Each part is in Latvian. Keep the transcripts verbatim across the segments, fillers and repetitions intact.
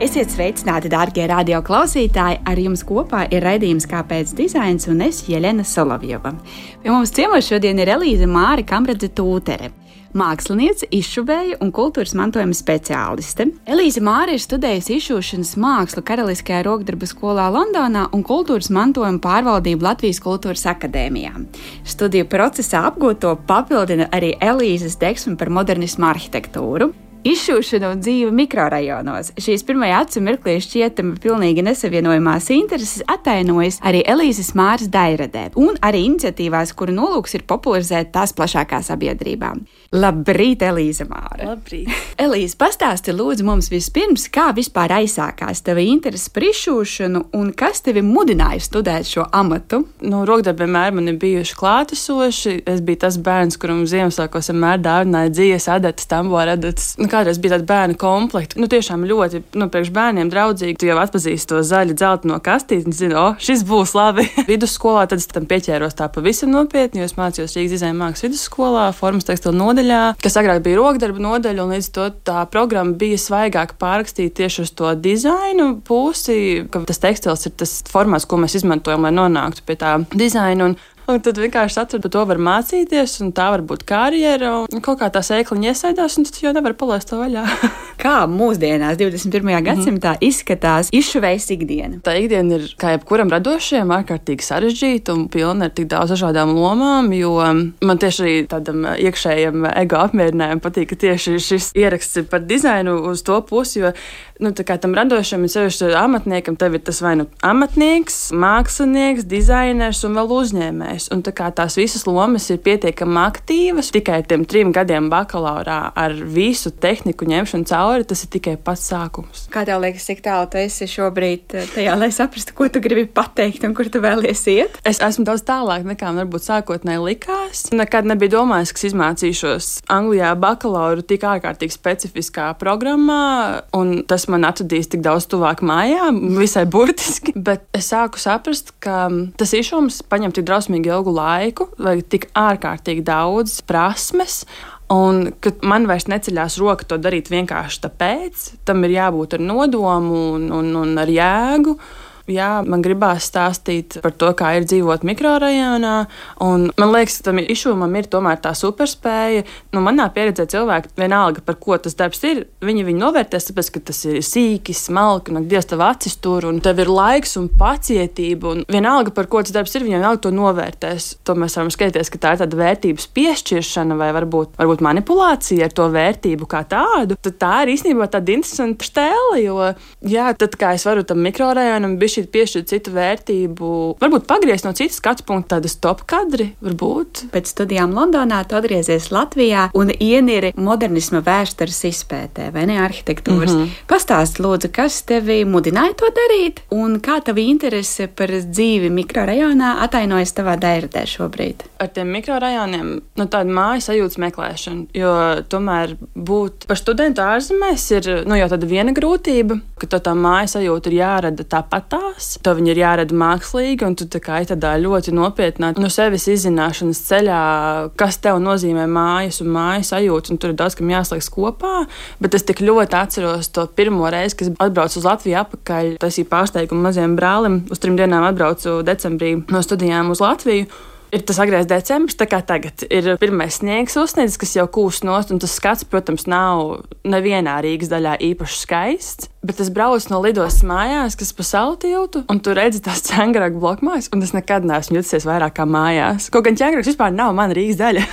Esiet sveicināti, dārgie radio klausītāji! Ar jums kopā ir raidījums Kāpēc dizains un es, Jeļena Solovjova. Pie mums ciemos šodien ir Elīze Māra Kamradze-Tūtere, māksliniece, izšuvēja un kultūras mantojuma speciāliste. Elīze Māra ir studējusi izšūšanas mākslu Karaliskajā rokdarbu skolā Londonā un kultūras mantojuma pārvaldību Latvijas Kultūras akadēmijā. Studiju procesā apgūto papildina arī Elīzes deksme par modernismu arhitektūru. Izšūšana un dzīve mikrorajonos. Šīs pirmajā acu mirklī šķietami pilnīgi nesavienojamās intereses atainojas arī Elīzes Māras dairadē un arī iniciatīvās, kuru nolūks ir popularizēt tās plašākā sabiedrībā. Labrīt, Elīze Māra! Labrīt! Elīze, pastāsti lūdzu mums vispirms, kā vispār aizsākās tava interese par izšūšanu un kas tevi mudināja studēt šo amatu? Nu, rokdarbi vienmēr man ir bijuši klātesoši. Es biju tas bērns, kuram Ziemassvētkos vienmēr dāvināja dzīves adatas, tambora adatas. Nu, kādreiz bija tāda bērnu komplekta. Nu, tiešām ļoti, nu, priekš bērniem draudzīgi. Tu jau atpazīsti to zaļu dzelteno kastīti un zini, o, šis būs labi. Vidusskolā tad es tam pieķēros tā pavisam nopietni, jo es mācījos Rīgas dizaina mākslas vidusskolā, formas tekstilu nodaļā, kas agrāk bija rokdarba nodaļa, un līdz to tā programma bija svaigāk pārrakstīta tieši uz to dizainu pusi, ka tas tekstils ir tas formāts, ko mēs izmantojam, lai nonāktu pie tā dizaina. Un Un tad vienkārši atradu, ka to var mācīties, un tā var būt karjera. Un kaut kā tā sēkliņa iesaidās, un tad jau nevar palaist to vaļā. Kā mūsdienās, divdesmit pirmajā gadsimtā, mm-hmm. izskatās izšuvējas ikdiena? Tā ikdiena ir, kā jebkuram radošajam, ārkārtīgi sarežģīta un pilna ar tik daudz dažādām lomām, jo man tieši arī tādam iekšējam ego apmierinājumu patīk, ka tieši šis ieraksts ir par dizainu uz to pusi, jo nu, tā kā tam radošam ir sevišķi amatniekam, tev ir tas vai nu amatnieks, mākslinieks, dizainers un vēl uzņēmējs. Un tā kā tās visas lomas ir pietiekami aktīvas, tikai tiem trim gadiem bakalaurā ar visu tehniku ņemšanu cauri, tas ir tikai pats sākums. Kā tev liekas, cik tālu tu esi šobrīd tajā, lai saprastu, ko tu gribi pateikt un kur tu vēlies iet? Es esmu daudz tālāk nekā man varbūt sākotnēji likās. Nekad nebija domājis, ka izmācīšos Anglijā bakalauru tik ārkārtīgi specifiskā programmā, un tas man atradīs tik daudz tuvāk mājām, visai burtiski, bet es sāku saprast, ka tas izšūms paņem tik drausmīgi ilgu laiku, vai tik ārkārtīgi daudz prasmes, un ka man vairs neceļās roka to darīt vienkārši tāpēc, tam ir jābūt ar nodomu un, un, un ar jēgu. Jā, man gribās stāstīt par to, kā ir dzīvot mikrorajonā, un man liekas, ka tam izšūmam ir tomēr tā superspēja. Nu, manā pieredzē cilvēki, vienalga, par ko tas darbs ir, viņi viņu novērtēs, tāpēc, ka tas ir sīki, smalki, un ak, Dievs, tev acis tur, un tev ir laiks un pacietība, un vienalga, par ko tas darbs ir, viņi vienalga to novērtēs. To mēs varam skatīties, ka tā ir tāda vērtības piešķiršana vai varbūt, varbūt manipulācija ar to vērtību kā tādu. Tad tā ir īstenībā tāda interesanta stēle, jo, jā, tad kā es varu tam mikrorajonam bišķi piešķirt citu vērtību, varbūt pagriezt no citas skatu punkta tādas top kadri, varbūt. Pēc studijām Londonā tu atgriezies Latvijā un ieniri modernisma vēstures izpētē, vai ne, arhitektūras. Mm-hmm. Pastāst, lūdzu, kas tevi mudināja to darīt un kā tava interese par dzīvi mikrorajonā atainojas tavā dairadē šobrīd? Ar tiem mikrorajoniem, nu, tāda māju sajūtas meklēšana, jo tomēr būt par studentu ārzemēs ir, nu, jau tāda viena grūtība, ka to tā māju sajūta ir jārada tāpatā. To viņi ir jārada mākslīgi, un tu tā kā ir tādā ļoti nopietnā no sevis izzināšanas ceļā, kas tev nozīmē mājas un mājas sajūtas, un tur ir daudz, kam jāslēgs kopā, bet es tik ļoti atceros to pirmo reizi, kad atbraucu uz Latviju atpakaļ, taisīju pārsteigumu mazajam brālim, uz trim dienām atbraucu decembrī no studijām uz Latviju. Ir tas agrais decembris, tā kā tagad ir pirmais sniegs uzsniedzis, kas jau kūst nost, un tas skats, protams, nav nevienā Rīgas daļā īpaši skaists, bet es braucu no lidostas mājās, kas pa salu tiltu, un tu redzi tās Ķēngraga blokmājas, un es nekad neesmu jutusies vairāk kā mājās. Kaut gan Ķēngrags vispār nav mana Rīgas daļa,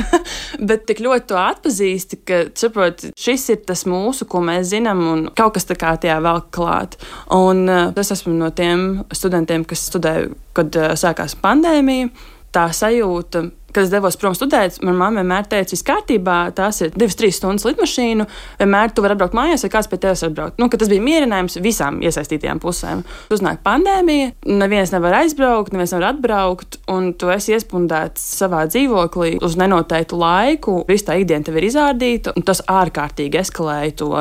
bet tik ļoti to atpazīsti, ka, saprot, šis ir tas mūsu, ko mēs zinām, un kaut kas tā kā tajā vēl klāt. Un uh, es esmu no tiem studentiem, kas studēja, kad uh, sākās pandēmija. Tā sajūta, kad es devos prom studēt, man mamma vienmēr teica, viss kārtībā, tās ir divas, trīs stundas lidmašīnu, vienmēr tu vari atbraukt mājās, vai kāds pie tevis atbraukt. Nu, ka tas bija mierinājums visām iesaistītajām pusēm. Uznāk pandēmija, neviens nevar aizbraukt, neviens nevar atbraukt, un tu esi iespundēts savā dzīvoklī uz nenoteiktu laiku, viss tā ikdiena tev ir izārdīta, un tas ārkārtīgi eskalēja to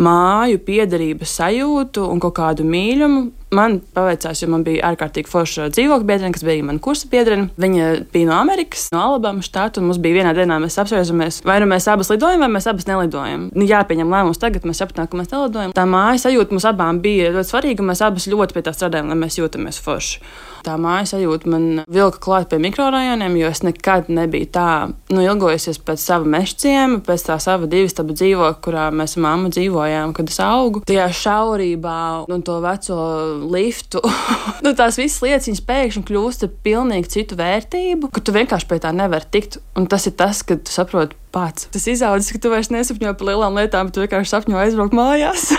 māju piederības sajūtu un kaut kādu mīļumu. Man paveicās, jo man bija ārkārtīgi forša dzīvokļa biedrene, kas bija mana kursa biedrene. Viņa bija no Amerikas, no Alabamas štata, un mums bija vienā dienā, mēs apspriežamies, vai nu mēs abas lidojam, vai mēs abas nelidojam. Nu, jāpieņem lēmums tagad, mēs sapratām, ka mēs nelidojam. Tā mājas sajūta mums abām bija ļoti svarīga, un mēs abas ļoti pie tā strādājam, lai mēs jūtamies forši. Tā mājas sajūta man vilka klāt pie mikrorajoniem, jo es nekad nebiju tā, nu, ilgojusies pēc sava mežciema, pēc tā sava divistabu dzīvokļa, kurā mēs ar mammu dzīvojām, kad es augu. Tajā šaurībā, nu, to veco liftu, nu, tās visas lietas, viņas pēkšņi kļūst ar pilnīgi citu vērtību, ka tu vienkārši pie tā nevari tikt, un tas ir tas, kad tu saproti pats. Tas izaudzis, ka tu vairs nesapņo par lielām lietām, bet tu vienkārši sapņo aizbraukt mājās.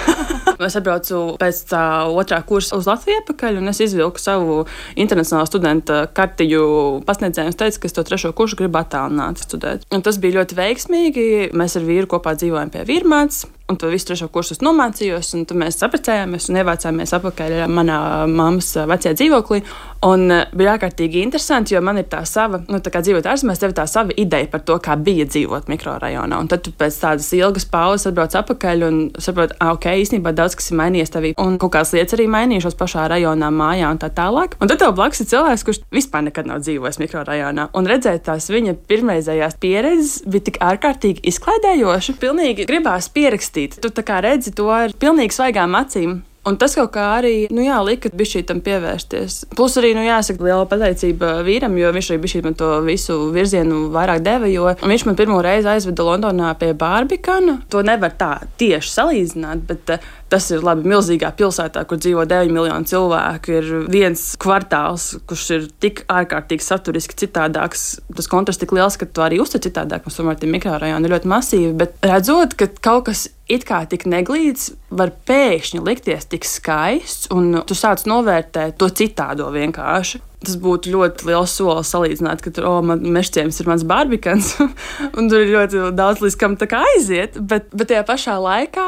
Es atbraucu pēc tā otrā kursa uz Latviju atpakaļ, un es izvilku savu internacionālo studenta kartiņu pasniedzēju un teicu, ka es to trešo kursu gribu attālināt studēt. Un tas bija ļoti veiksmīgi. Mēs ar vīru kopā dzīvojam pie Vīrmātes. Un to visu trešo kursus nomācījos, un tad mēs saprecējāmies un ievācāmies atpakaļ manā mammas vecajā dzīvoklī. Un bija ārkārtīgi interesanti, jo man ir tā sava, nu, tā kā dzīvot ārzemēs, tev ir tā sava ideja par to, kā bija dzīvot mikrorajonā. Un tad tu pēc tādas ilgas pauzes atbrauc atpakaļ un saproti, ah, ok, īstenībā daudz kas ir mainījies tevī. Un kaut kādas lietas arī mainījušās pašā rajonā, mājā un tā tālāk. Un tad tev blakus ir cilvēks, kurš vispār nekad nav dzīvojis mikrorajonā. Un redzēt tās viņa pirmreizējās pieredzes bija tik ārkārtīgi izklaidējoši. Pilnīgi gribās pierakstīt. Tu tā kā redzi to ar pilnīgi svaigām acīm. Un tas kaut kā arī, nu jā, lika bišķītam pievērsties. Plus arī, nu jāsaka, liela pateicība vīram, jo viņš arī bišķīt man to visu virzienu vairāk deva, jo viņš man pirmo reizi aizveda Londonā pie Barbikana. To nevar tā tieši salīdzināt, bet uh, tas ir labi milzīgā pilsētā, kur dzīvo deviņi miljoni cilvēku. Ir viens kvartāls, kurš ir tik ārkārtīgi saturiski citādāks. Tas kontrasts tik liels, ka tu arī uztver citādāk. Mums tomēr tie mikrorajoni ir ļoti masīvi, bet redzot, ka kaut kas it kā tik neglīts var pēkšņi likties tik skaists, un tu sāc novērtēt to citādo vienkārši. Tas būtu ļoti liels solis salīdzināt, ka tur, oh, man mežciems ir mans Barbikans, un tur ir ļoti daudz līdz kam tā kā aiziet, bet, bet tajā pašā laikā,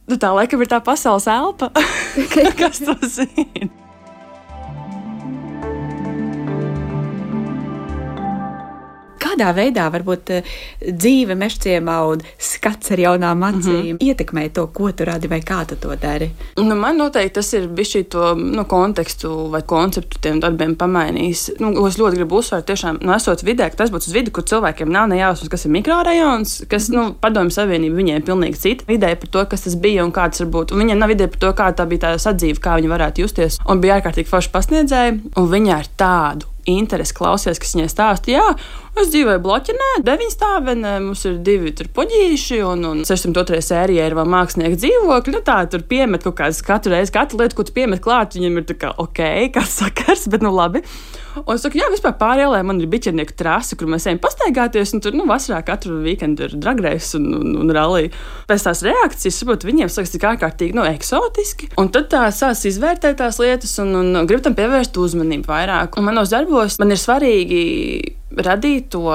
nu tā laikam ir tā pasaules elpa, kas to zina. Kādā veidā varbūt dzīve mežciemā un skats ar jaunām acīm mm-hmm. ietekmē to, ko tu radi vai kā tu to dari? Nu, man noteikti tas ir bišķi to nu, kontekstu vai konceptu tiem darbiem pamainījis. Nu, es ļoti gribu uzsvērt, tiešām, nu, esot vidē, ka tas būtu uz vidi, kur cilvēkiem nav nejausmas, kas ir mikrorajons, kas, nu, Padomju Savienība viņiem pilnīgi cita ideja par to, kas tas bija un kā tas var būt. Un viņiem nav ideja par to, kā tā bija tā sadzīve, kā viņi varētu justies. Un bija ārkārtīgi forši pasniedzēji, un viņi ar tādu interesi klausies, kas viņai stāsta, jā, es dzīvoju bloķinē, deviņi stāvenē, mums ir divi tur poģīši, un, un sešsimt otrajā sērijā ir vēl mākslinieki dzīvokļi, nu tā, tur piemet kaut kādas katru reizi, katru lietu, ko tu piemet klāt, viņam ir tā kā, ok, kāds sakars, bet nu labi. Un es saku, jā, vispār pārielē man ir biķernieku trasi, kur mēs ejam pastaigāties, un tur, nu, vasarā katru weekendu ir dragreis un, un, un rallija. Pēc tās reakcijas, saprotu, viņiem sāks tik ārkārtīgi, nu, eksotiski, un tad tā sās izvērtēt tās lietas un, un grib tam pievērst uzmanību vairāk. Un manos darbos man ir svarīgi radīt to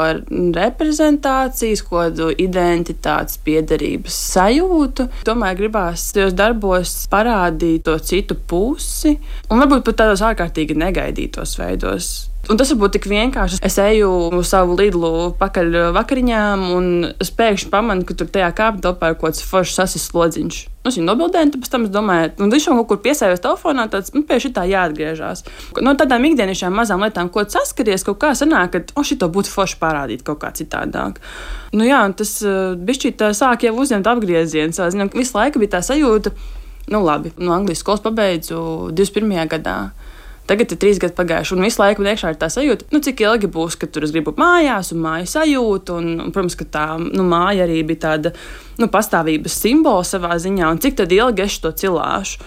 reprezentācijas, kodu identitātes, piederības sajūtu. Tomēr gribās tajos darbos parādīt to citu pusi un varbūt pat tādos ārkārtīgi negaidītos veidos. Un tas var būt tik vienkārši. Es eju uz savu Lidlu pakaļ vakariņām un es pēkšņi pamanu, ka tur tajā kāpju telpā ir kaut kāds foršs sasis slodziņš. Es viņu nobildēju, un pēc tam es domāju, un viņš kaut kur piesējos telefonā, tāds, nu, pie šitā jāatgriežās. No tādām ikdienišķām mazām lietām, ko saskaries, kaut kā sanāk, ka, o, šito būtu forši parādīt kaut kā citādāk. Nu jā, un tas uh, bišķīt tā sāk jau uzņemt apgriezienu. Zinām, visu laiku bija tā sajūta, nu labi, no Anglijas skolas pabeidzu divdesmit pirmajā gadā. Tagad ir trīs gadi pagājuši, un visu laiku man iekšā ir tā sajūta, nu, cik ilgi būs, kad tur es gribu mājās, un māju sajūtu, un, un, protams, ka tā nu, māja arī bija tāda nu, pastāvības simbola savā ziņā, un cik tad ilgi es to cilāšu.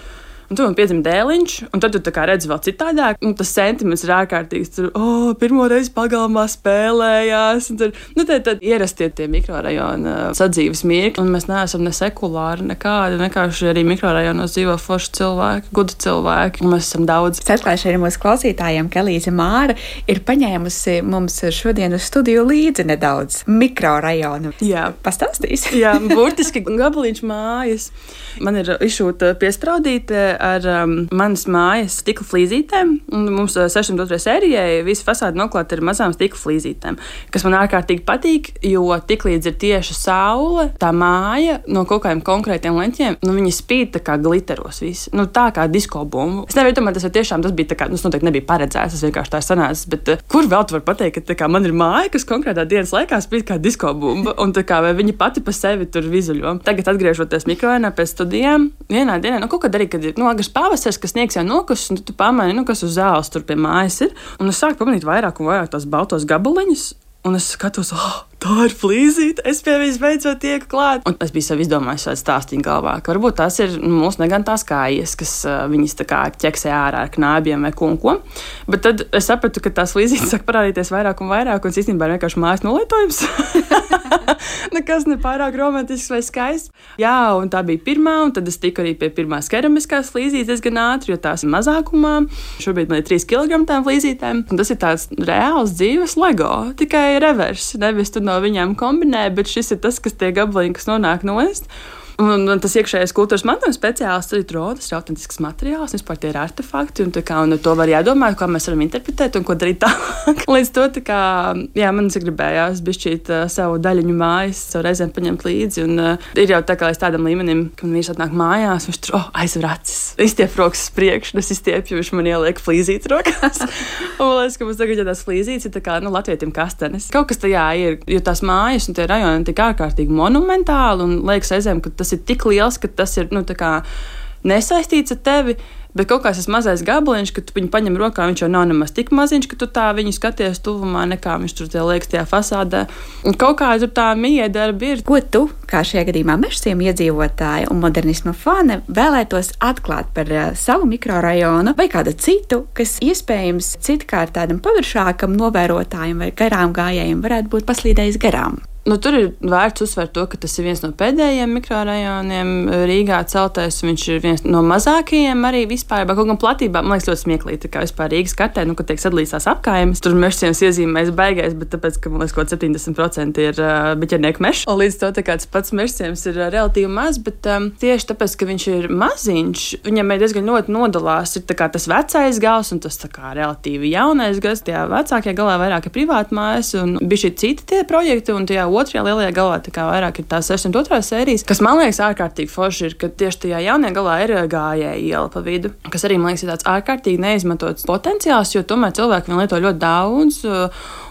Un tur man piedzima dēliņš, un tad tu tā kā redzi vēl citādāk, un tas sentiments ir ārkārtīgs. Tur, oh, pirmo reizi pagalmā spēlējās, un tur, nu, tad, tad ierastie tie mikrorajona sadzīves mirkļi, un mēs neesam ne sekulāri, nekādi, vienkārši arī mikrorajonos dzīvo forši cilvēki, gudi cilvēki, un mēs esam daudz. Es atklāšu arī mūsu klausītājiem, ka Elīze Māra ir paņēmusi mums šodien uz studiju līdzi nedaudz mikrorajonu. Jā. Pastāstīs? Jā, burtiski gabaliņš mājas. Man ir izšūta piespraudīte ar um, manas mājas stikla flīzītēm. Mums sešsimt otrajai sērijai visa fasāde noklāta ar mazām stikla flīzītēm, kas man ārkārtīgi patīk, jo tiklīdz ir tieši saule, tā māja no kaut kādiem konkrētiem leņķiem, nu, viņi spīd tā kā gliteros visi. Nu, tā kā disko bumbu. Es nevaru domāt, tas tiešām tas bija tā kā, nu, tas noteikti nebija paredzēts, tas vienkārši tā sanācis, bet uh, kur vēl tu var pateikt, ka tā kā man ir māja, kas konkrētā dienas laikā spīd kā disko bumba, un tā kā vai viņa pati pa sevi tur vizuļo. Tagad atgriežoties mikrorajonā pēc studijām, vienā dienā, nu, kaut kad arī, kad ir, nu, agrs pavasaris, kas sniegs jau nokusis, un tu, tu pamani, nu, kas uz zāles tur pie mājas ir, un es sāku pamanīt vairāk un vairāk tās baltos gabaliņus, un es skatos, oh, tā ir flīzīte, es pie viņas beidzot tieku klāt. Un es biju sev izdomājis šādu stāstīņu galvā, ka varbūt tās ir nu, mūsu negantās kājas, kas uh, viņas tā kā ķeksē ārā ar knābiem vai kunko. Bet tad es sapratu, ka tās flīzītes sāk parādīties vairāk un vairāk, un es īstenībā ir vienkārši mājas nolietojums. Nekas ne pārāk romantisks vai skaists. Jā, un tā bija pirmā, un tad es tiku arī pie pirmās keramiskās flīzītes diezgan ātri, jo tās ir mazākumā. Šobrīd man ir trīs kilogrami tām flīzītēm, un tas ir tāds reāls dzīves Lego, tikai revers, nevis tu no viņām kombinē, bet šis ir tas, kas tie gabaliņi, kas nonāk nost. Un, un tas iekšējais kultūras mantojuma speciālists arī tur rodas, ir autentisks materiāls, vispār tie ir artefakti, un, kā, un to var jādomā, kā mēs varam interpretēt un ko darīt tālāk. Līdz to, tā kā, jā, man sagribējās bišķīt uh, savu daļiņu mājas, savu reizēm paņemt līdzi, un uh, ir jau tā kā līdz tādam līmenim, ka man vīrs atnāk mājās, viņš tur, oh, aizver acis, izstiep rokas priekš, es izstiepju, viņš man ieliek flīzītes rokās. Un man liekas, ka mums tagad, ja tās flīzītes ir tā kā, nu, latvietim kastenes. Kaut kas tajā ir, jo tās mājas un tie rajoni tik ārkārtīgi monumentāli, un liekas aizēm, ka tas ir tik liels, ka tas ir nu, kā, nesaistīts ar tevi, bet kaut kāds tas mazais gabaliņš, kad tu viņu paņem rokā, viņš jau nav nemaz tik maziņš, ka tu tā viņu skaties tuvumā, nekā viņš tur tie liekas tajā fasādē. Un kaut kā tur tā miedarbi ir. Ko tu, kā šajā gadījumā Mežciema iedzīvotāja un modernisma fane, vēlētos atklāt par uh, savu mikrorajonu vai kādu citu, kas iespējams citkārt tādam paviršākam novērotājam vai garām gājējiem varētu būt paslīdējis garām? Nu, tur ir vērts uzsvērt to, ka tas ir viens no pēdējiem mikrorajoniem Rīgā celtais. Viņš ir viens no mazākajiem arī vispār. Kaut gan platībā, man liekas, ļoti smieklīgi, tā kā vispār Rīgas kartē, nu, kad tiek sadalīts tās apkaimes. Tur Mežciemas iezīmēs baigais, bet tāpēc, ka, man liekas, kaut septiņdesmit procenti ir uh, biķernieku mežs. Un līdz to tā kā tas pats Mežciems ir uh, relatīvi maz, bet um, tieši tāpēc, ka viņš ir maziņš, viņam ir diezgan ļoti nodalās. Ir tā kā tas vecais gals un tas tā kā relatīvi jaunais gals. Tajā vecākajā galā vairāk ir privātmājas un bija šī citi tie projekti, un tajā otrajā lielajā galā tā kā vairāk ir tās sešsimt otrā sērijas, kas man liekas ārkārtīgi forši ir, ka tieši tajā jaunajā galā ir gājēja iela pa vidu, kas arī man liekas ir tāds ārkārtīgi neizmantots potenciāls, jo tomēr cilvēki viņu lieto ļoti daudz.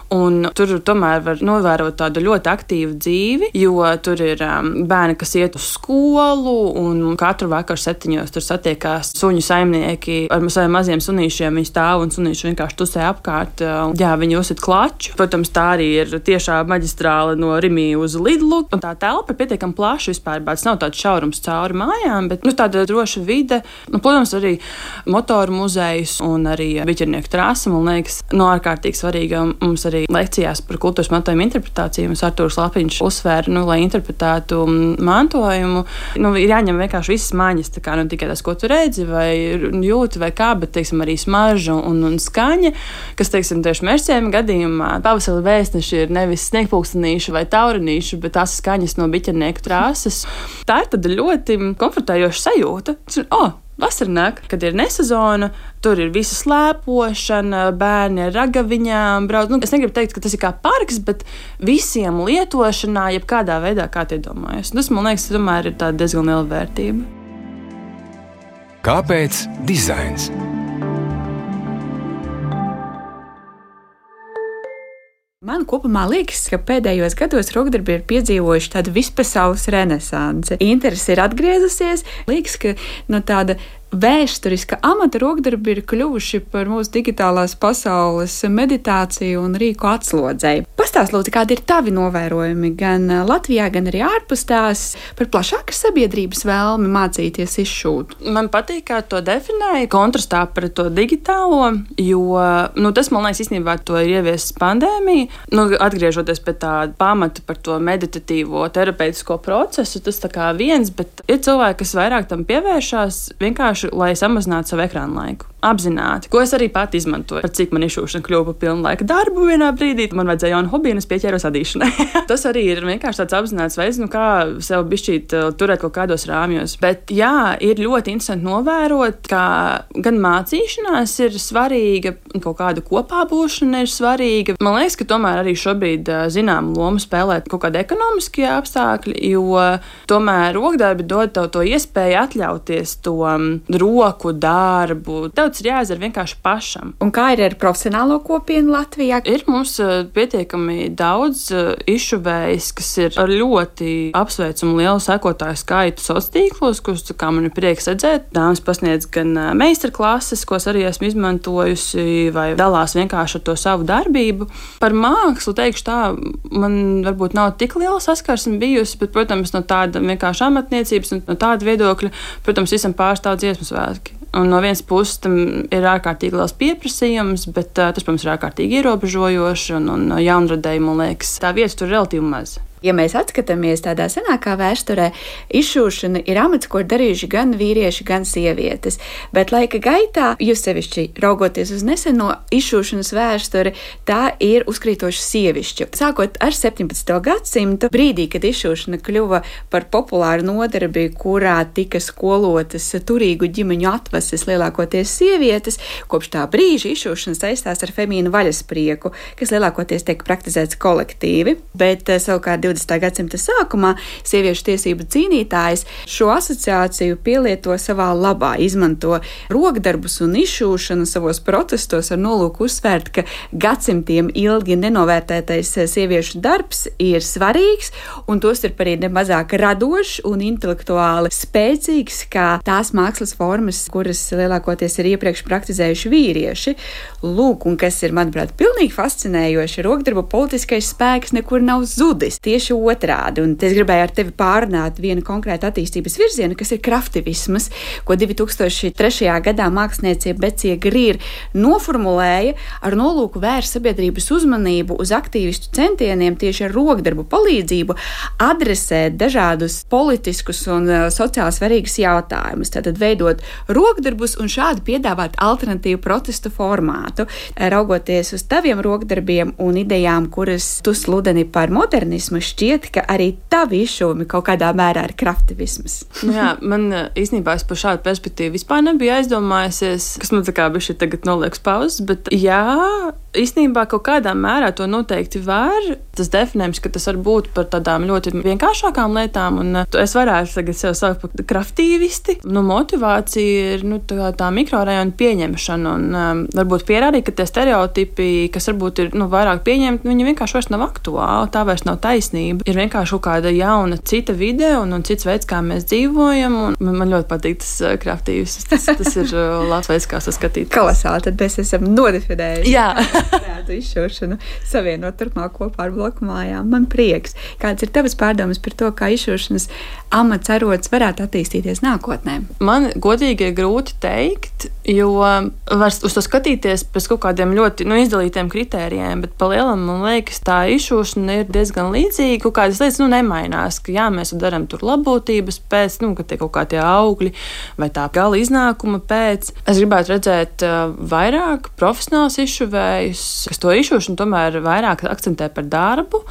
Un tur tomēr var novērot tādu ļoti aktīvu dzīvi, jo tur ir um, bērni, kas iet uz skolu, un katru vakaru septiņos tur satiekās suņu saimnieki ar saviem maziem sunīšiem. Viņi stāv un sunīši vienkārši tusē apkārt. Jā, viņi uzsit klaču. Protams, tā arī ir tiešā maģistrāle no Rimī uz Lidlu. Un tā telpa ir pietiekami plaša vispār, bet tas nav tāds šaurums cauri mājām, bet nu, tāda droša vide. Nu, protams, arī motoru muzejs un arī biķernieku trasa, man liekas, no ārkārtīgi svarīga. Mums arī lekcijās par kultūras mantojuma interpretāciju mums Artūrs Lapiņš uzsvēra, nu, lai interpretētu mantojumu, nu, ir jāņem vienkārši visas maņas, tā kā nu tikai tas, ko tu redzi vai jūti vai kā, bet, teiksim, arī smarža un, un skaņa, kas, teiksim, tieši Mežciema gadījumā pavasara vēstneši ir nevis sniegpulkstenīši vai taurinīši, bet tās skaņas no biķernieku trāsas. Tā ir tāda ļoti komfortējoša sajūta. O, vasara nāk, kad ir nesezona, tur ir visa slēpošana, bērni ar ragaviņām brauc. Nu, es negribu teikt, ka tas ir kā parks, bet visiem lietošanā, jebkādā veidā, kā tie domājas. Tas, man liekas, tomēr ir tāda diezgan liela vērtība. Kāpēc dizains? Man kopumā liekas, ka pēdējos gados rokdarbi ir piedzīvojuši tādu vispasaules renesansi. Interese ir atgriezusies. Liekas, ka no tāda vēsturiska amata rokdarbi ir kļuvuši par mūsu digitālās pasaules meditāciju un rīku atslodzēju. Pastāst, lūdzu, kādi ir tavi novērojumi gan Latvijā, gan arī ārpus tās par plašākas sabiedrības vēlmi mācīties izšūt? Man patīk, kā to definēja kontrastā pret to digitālo, jo nu, tas, man liekas, īstenībā to ir ieviesis pandēmija. Nu, atgriežoties pie tā pamata par to meditatīvo terapeitisko procesu, tas tā kā viens, bet ir cilvēki, kas vairāk tam pievēršās vienkārši, lai samazinātu savu ekrānu laiku. apzināti, ko es arī pati izmantoju. Par cik man izšūšana kļuva par pilnlaika darbu vienā brīdī, man vajadzēja jaunu hobiju, un es pieķēros adīšanai. Tas arī ir vienkārši tāds apzināts veids, nu kā sev bišķīt turēt kaut kādos rāmjos. Bet jā, ir ļoti interesanti novērot, ka gan mācīšanās ir svarīga, kaut kāda kopā būšana ir svarīga. Man liekas, ka tomēr arī šobrīd zinām lomu spēlēt kaut kādi ekonomiskie apstākļi, jo tomēr rokdarbi dod tev to iespēju atļauties to roku darbu. Tev tas ir jāizdara vienkārši pašam. Un kā ir ar profesionālo kopienu Latvijā? Ir mums pietiekami daudz izšuvējis, kas ir ar ļoti apsveicumu lielu sekotāju skaitu sociālos tīklos, kurus, kā man ir prieks redzēt, dāmas pasniedz gan meistarklases, ko arī esmu izmantojusi, vai dalās vienkārši ar to savu darbību. Par mākslu teikšu tā, man varbūt nav tik liela saskarsme bijusi, bet, protams, no tāda vienkārši amatniecības un no tāda viedokļa, protams, visam pārstāv dziesmu svētki. Un no vienas puses tam ir ārkārtīgi liels pieprasījums, bet uh, tas, protams, ir ārkārtīgi ierobežojoši un, un jaunradēji, man liekas, tā vieta tur relatīvi maz. Ja mēs atskatāmies tādā senākā vēsturē, izšūšana ir amats, ko ir darījuši gan vīrieši, gan sievietes. Bet laika gaitā, jūs sevišķi raugoties uz neseno izšūšanas vēsturi, tā ir uzkrītoši sievišķu. Sākot ar septiņpadsmito gadsimtu, brīdī, kad izšūšana kļuva par populāru nodarbi, kurā tika skolotas turīgu ģimeņu atvases lielākoties sievietes, kopš tā brīža izšūšana saistās ar femīnu vaļasprieku, kas lielākoties tiek praktizēts kolektīvi, bet savukārt divdesmitā gadsimta sākumā sieviešu tiesību cīnītājas šo asociāciju pielieto savā labā, izmanto rokdarbus un izšūšanu savos protestos ar nolūku uzsvērt, ka gadsimtiem ilgi nenovērtētais sieviešu darbs ir svarīgs un tos ir arī nemazāk radošs un intelektuāli spēcīgs kā tās mākslas formas, kuras lielākoties ir iepriekš praktizējuši vīrieši. Lūk, un kas ir, manuprāt, pilnīgi fascinējoši, rokdarba politiskais spēks nekur nav zudis. Tieši otrādi, un es gribēju ar tevi pārunāt vienu konkrētu attīstības virzienu, kas ir kraftivisms, ko divi tūkstoši trešajā gadā māksliniece Becija Grīr noformulēja ar nolūku vērst sabiedrības uzmanību uz aktīvistu centieniem tieši ar rokdarbu palīdzību adresēt dažādus politiskus un uh, sociāli svarīgus jautājumus, tātad veidot rokdarbus un šādi piedāvāt alternatīvu protestu formātu, raugoties uz taviem rokdarbiem un idejām, kuras tu sludini par modernismu, šķiet, ka arī tavi izšūmi kaut kādā mērā ir kraftivisms. Nu jā, man īstenībā es par šādu perspektīvu vispār nebija aizdomājusies, kas man tā kā bišķi tagad noliekas pauzes, bet jā, īstenībā kaut kādā mērā to noteikti var. Tas definējums, ka tas var būt par tādām ļoti vienkāršākām lietām, un es varētu tagad sev saukt par kraftīvisti. Nu, motivācija ir nu, tā, tā mikrorajona pieņemšana, un um, varbūt pierādīt, ka tie stereotipi, kas varbūt ir nu, vairāk pieņemti, viņi vienkārši vairs nav aktuāli, tā vairs nav taisnība. Ir vienkārši kaut kāda jauna cita vide un, un cits veids, kā mēs dzīvojam, un man, man ļoti patīk tas uh, kraftīvis. Tas, tas ir uh, labs veids, kā saskatīt. Kolosāli, tad mēs esam nodefinējuši. Jā. Varētu izšūšanu savienot turpmāk kopā ar bloku mājām. Man prieks. Kāds ir tavas pārdomas par to, kā izšūšanas amats arots varētu attīstīties nākotnē? Man godīgi ir grūti teikt, jo var uz to skatīties pēc kaut kādiem ļoti nu, izdalītiem kritērijiem, bet pa lielam, man liekas, tā izšūšana ir diezgan līdzīga. Kaut kādas lietas nu, nemainās, ka jā, mēs darām tur labbūtības pēc, nu, ka tie kaut kā tie augļi vai tā gala iznākuma pēc. Es gribētu redzēt uh, vairāk profesionāls izšuvējus, kas to izšūšanu tomēr vairāk akcentē par darbu.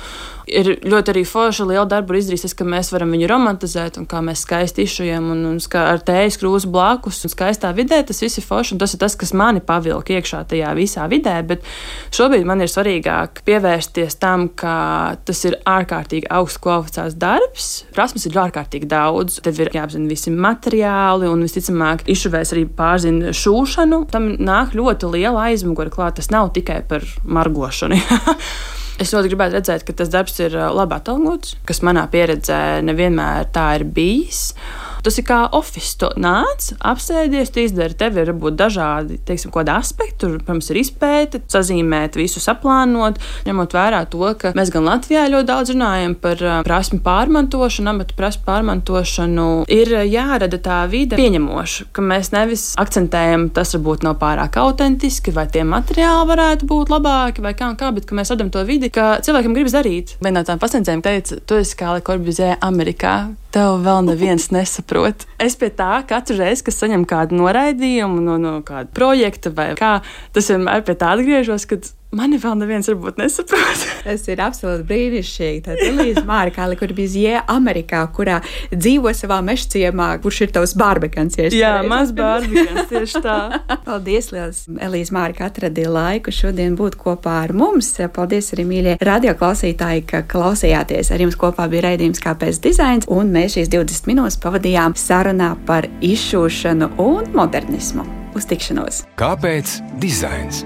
Ir ļoti arī forša liela darba izdarīsies, ka mēs varam viņu romantizēt un kā mēs skaisti izšujam un, un ar tējas krūzu blakus un skaistā vidē. Tas viss ir forši un tas ir tas, kas mani pavilka iekšā tajā visā vidē, bet šobrīd man ir svarīgāk pievērsties tam, ka tas ir ārkārtīgi augsts kvalificēts darbs. Prasmes ir ārkārtīgi daudz. Tev ir jāapzina visi materiāli un visticamāk izšuvējs arī pārzina šūšanu. Tam nāk ļoti liela aizmugure klāt. Tas nav tikai par margošanu. Es ļoti gribētu redzēt, ka tas darbs ir labi atalgots, kas manā pieredzē nevienmēr tā ir bijis. Tas ir kā office. Tu nāc, apsēdies, tu izdari. Tev ir varbūt dažādi, teiksim, kādi aspekti. Tur, protams, ir izpēte, sazīmēt, visu saplānot, ņemot vērā to, ka mēs gan Latvijā ļoti daudz runājam par prasmi pārmantošanu, amatu prasmi pārmantošanu. Ir jārada tā vide pieņemoša, ka mēs nevis akcentējam, tas varbūt nav pārāk autentiski, vai tie materiāli varētu būt labāki, vai kā un kā, bet ka mēs radam to vidi, ka cilvēkiem gribas darīt. Vienā no tām pasniedzējiem teica, tu esi kā Le Corbusier Amerikā. tev vēl neviens nesaprot. Es pie tā katru reizi, kad saņem kādu noraidījumu no, no kāda projekta vai kā, tas vienmēr pie tā atgriežos, kad mani vēl neviens varbūt nesaprot. Tas ir absolūti brīnišķīgi. Tad Elīze Māra, kur bija Amerikā, kurā dzīvo savā mežciemā, kurš ir tavs barbekans. Jā, maz barbekans, tieši tā. Paldies, liels, Elīze Māra, ka atradīja laiku šodien būt kopā ar mums. Paldies arī, mīļie radioklausītāji, ka klausījāties. Ar jums kopā bija raidījums Kāpēc dizains, un mēs šīs divdesmit minūtes pavadījām sarunā par izšūšanu un modernismu. Uz tikšanos! Kāpēc dizains?